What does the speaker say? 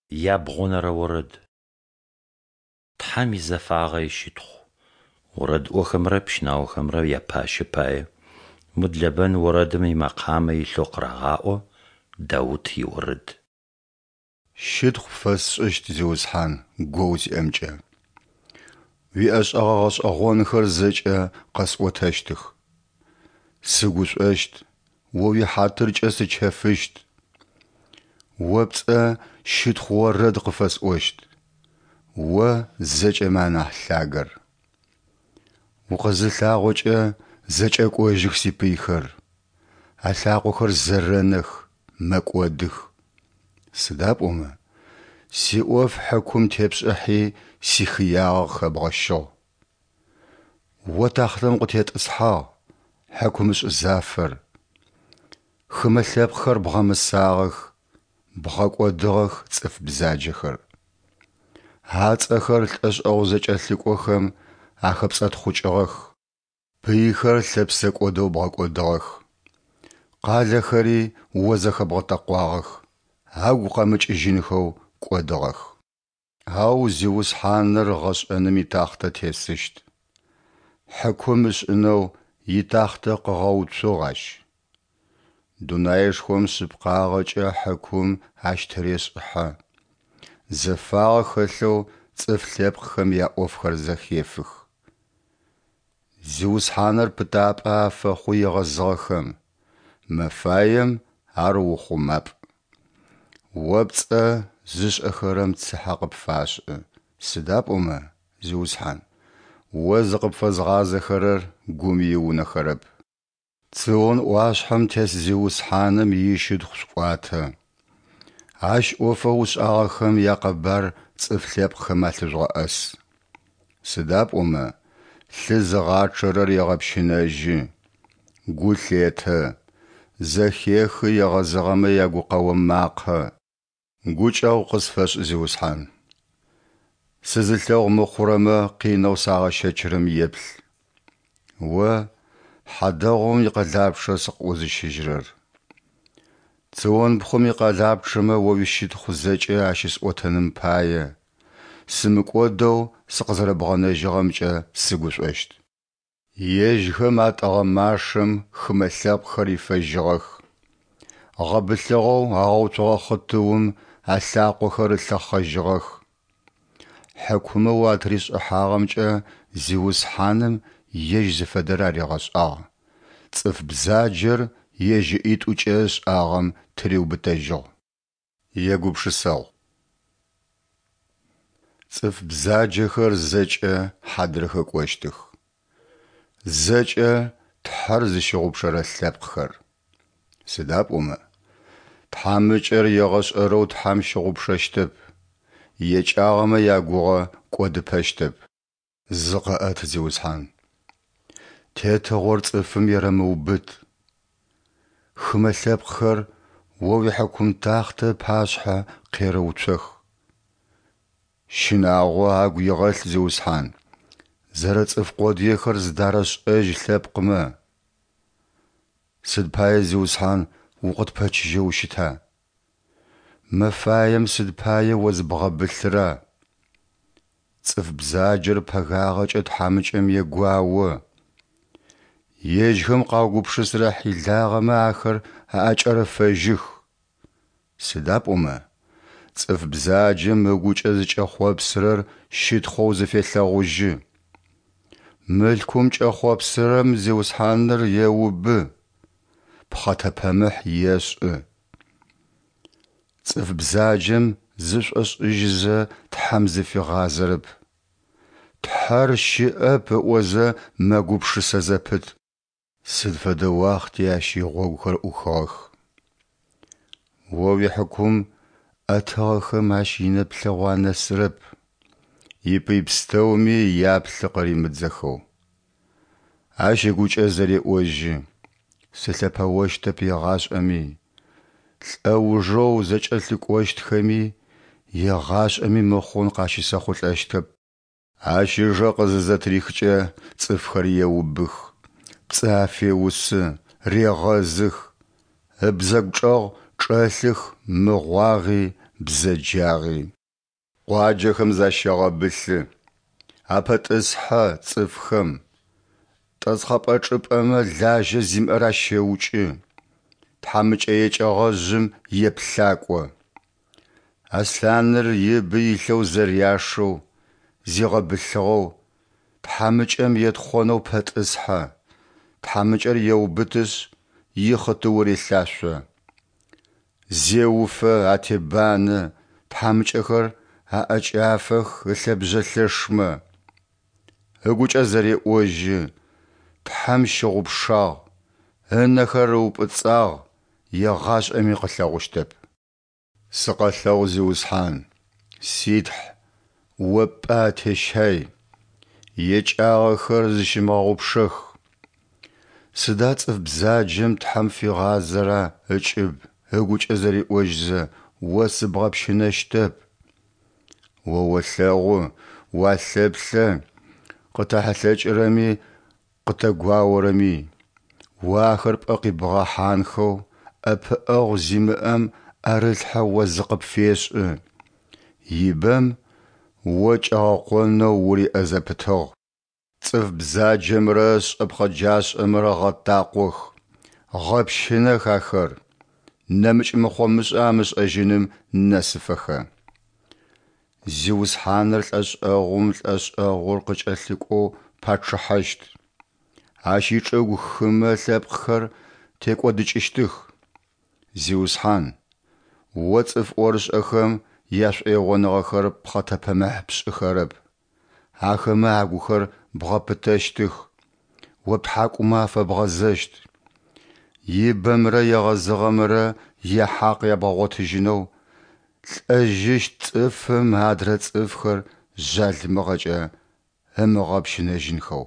Ябгъонэрэ орэд. Тхьэм изэфагъэ ищытхъу. Орэдыӏохэмрэ пщынаохэмрэ япащэ пае. Мудлэбэн орэдым имэкъамэ илъэу къырагъаӏо. Даут иорэд. Щытхъу пфэсшӏыщт, Зиусхьан, гоу сиӏэмкӏэ, уиӏэшӏэгъэ гъэшӏэгъонхэр зэкӏэ къэсӏотэщтых. Сыгушӏощт, О уихьатыркӏэ сычэфыщт. О пцӏэ щытхъу орэд къыфэсӏощт, О зэкӏэмэ анахь Лъагэр. Укъызылъагъокӏэ зэкӏэкӏожьых сипыйхэр, алъакъохэр зэрэнэх, мэкӏодых. Сыда пӏомэ, сиӏоф хьыкум тепшӏыхьи, сихыягъэ къыхэбгъэщыгъ. О тахътэм укъытетӏысхьагъ, хьыкумышӏ зафэр. Хымэ лъэпкъхэр бгъэмысагъэх, бгъэкӏодыгъэх цӏыф бзаджэхэр. Ацӏэхэр лӏэшӏэгъу зэкӏэлъыкӏохэм ахэпцӏэтхъукӏыгъэх, пыйхэр лъэпсэкӏодэу бгъэкӏодыгъэх. Къалэхэри О зэхэбгъэтэкъуагъэх, агу къэмыкӏыжьынхэу кӏодыгъэх. Ау Зиусхьаныр гъэшӏэным итахътэ тесыщт. Хьыкум ышӏынэу итахътэ къыгъэуцугъ Ащ. Дунаишхом шъыпкъагъэкӏэ хьыкум Ащ тырешӏыхьэ, зэфагъэ хэлъэу цӏыф лъэпкъхэм яӏофхэр зэхефых. Зиусхьаныр пытапӏэ афэхъу егъэзыгъэхэм, мэфаем Ар ухъумапӏ. О пцӏэ зышӏэхэрэм цыхьэ къыпфашӏы, сыда пӏомэ, Зиусхьан, О зыкъыпфэзгъазэхэрэр гум иунэхэрэп. Цион ӏуашъхьэм тес Зиусхьаным ищытхъу шъуӏуатэ. Ащ ӏофэу ышӏагъэхэм якъэбар цӏыф лъэпкъхэм алъыжъугъэӏэс. Сыда пӏомэ лъы зыгъачъэрэр егъэпщынэжьы, гу лъетэ, зэхехы егъэзыгъэмэ ягукъэо макъэ. Гукӏэгъу къысфэшӏ, Зиусхьан. Сызылъэгъу мыхъурэмэ къинэу сагъэщэчырэм еплъ. О, хьадэгъум икъэлапчъэ сыкъыӏузыщыжьырэр. Цион пхъум икъэлапчъэмэ О уищытхъу зэкӏэ ащысӏотэным пае, сымыкӏодэу сыкъызэрэбгъэнэжьыгъэмкӏэ сыгушӏощт. Ежьхэм атӏыгъэ машэм хымэ лъэпкъхэр ифэжьыгъэх. Гъэбылъыгъэу агъэуцугъэ хъытыум алъакъохэр ылъэхъэжьыгъэх. Хьыкумэу атыришӏыхьагъэмкӏэ Зиусхьаным Ежь зыфэдэр аригъэшӏагъ, цӏыф бзаджэр ежь ыӏитӏукӏэ ышӏагъэм тыриубытэжьыгъ. Егупшысэгъу. Цӏыф бзаджэхэр зэкӏэ хьадрыхэ кӏощтых, зэкӏэ Тхьэр зыщыгъупшэрэ лъэпкъхэр. Сыда пӏомэ, тхьамыкӏэр егъэшӏэрэу Тхьэм щыгъупшэщтэп, екӏагъэмэ ягугъэ кӏодыпэщтэп. Зыкъэӏэт, Зиусхьан! Тетыгъор цӏыфым ерэмыубыт. Хымэ лъэпкъхэр О уихьыкум тахътэ ыпашъхьэ къерэуцох. Щынагъо агу игъэлъ, Зиусхьан, зэрэцӏыф къодыехэр зыдарэшӏэжь лъэпкъмэ. Сыд пае, Зиусхьан, укъытпэчыжьэу ущыта? Мэфаем сыд пае О зыбгъэбылъыра? Цӏыф бзаджэр пэгагъэкӏэ тхьамыкӏэм егуао. Ежьхэм къаугупшысырэ хьилагъэмэ ахэр аӏэкӏэрэфэжьых. Сыда пӏомэ, цӏыф бзаджэм ыгукӏэ зыкӏэхъопсырэр щытхъоу зыфелъэгъужьы. Мылъкум кӏэхъопсырэм Зиусхьаныр еубы, пхъэтэпэмыхь ешӏы. Цӏыф бзаджэм зышӏошӏыжьызэ Тхьэм зыфигъазэрэп. Тхьэр щыӏэп ыӏозэ мэгупшысэ зэпыт. Сыд фэдэ уахъти ащ игъогухэр ӏухыгъэх. О уихьыкум ӏэтыгъэхэм ащ инэплъэгъу анэсырэп, ипый пстэуми яплъы къыримыдзэхэу. Ащ ыгукӏэ зэреӏожьы, Сылъэпэощтэп егъашӏэми, лӏэужэу зэкӏэлъыкӏощтхэми егъашӏэми мыхъун къащысэхъулӏэщтэп. Ащ ыжэ къызызэтрихкӏэ цӏыфхэр еубых, пцӏы афеусы, регъэзых, ыбзэгу чӏэгъ чӏэлъых мыгъуагъи бзэджагъи. Къуаджэхэм защегъэбылъы, апэтӏысхьэ цӏыфхэм, Тӏэсхъэпӏэ чӏыпӏэмэ лажьэ зимыӏэр ащеукӏы, тхьамыкӏэ екӏэгъэжъым еплъакӏо. Аслъаныр ибы илъэу зэряшэу, зигъэбылъыгъэу, тхьамыкӏэм етхъонэу пэтӏысхьэ, тхьамыкӏэр еубытышъ, ихъытыу релъашъо. Зеуфэ, атебанэ, тхьамыкӏэхэр аӏэкӏафэх ылъэбжъэ лъэшмэ. Ыгукӏэ зэреӏожьы, Тхьэм щыгъупшагъ, ынэхэр ыупӏыцӏагъ, егъашӏэми къылъэгъущтэп. Сыкъэлъэгъу, Зиусхьан, си Тхь, О пӏэ атещай, екӏагъэхэр зыщымыгъэгъупшэх. Сыда цӏыф бзаджэм Тхьэм фигъазэра ыкӏыб, ыгукӏэ зэриӏожьзэ, О сыбгъэпщынэщтэп. О олъэгъу, уалъэплъэ, къытэхьылъэкӏырэми къытэгуаорэми. О ахэр пӏэ къибгъэхьанхэу, ӏэпыӏэгъу зимыӏэм ӏэрылъхьэ О зыкъыпфешӏы. Ибэм О кӏэгъэкъонэу уриӏэ зэпытыгъ. Цӏыф бзаджэмрэ шӏэпхъэджашӏэмрэ гъэтакъох, гъэпщынэх ахэр, нэмыкӏ мыхъо-мышӏэ амышӏэжьыным нэсыфэхэ. Зиусхьаныр лӏэшӏэгъум лӏэшӏэгъур къыкӏэлъыкӏоу пачъыхьэщт. Ащ ичӏыгу хымэ лъэпкъхэр текӏодыкӏыщтых. Зиусхьан, О цӏыф ӏорышӏэхэм яшӏоигъоныгъэхэр пхъэтэпэмыхь пшӏыхэрэп, ахэмэ агухэр бгъэпытэщтых, О птхьакӏумэ афэбгъэзэщт. Ибэмрэ егъэзыгъэмрэ яхьакъ ябгъэгъотыжьынэу, лӏэжьыщт цӏыфым адрэ цӏыфхэр жъалымыгъэкӏэ ымыгъэпщынэжьынхэу.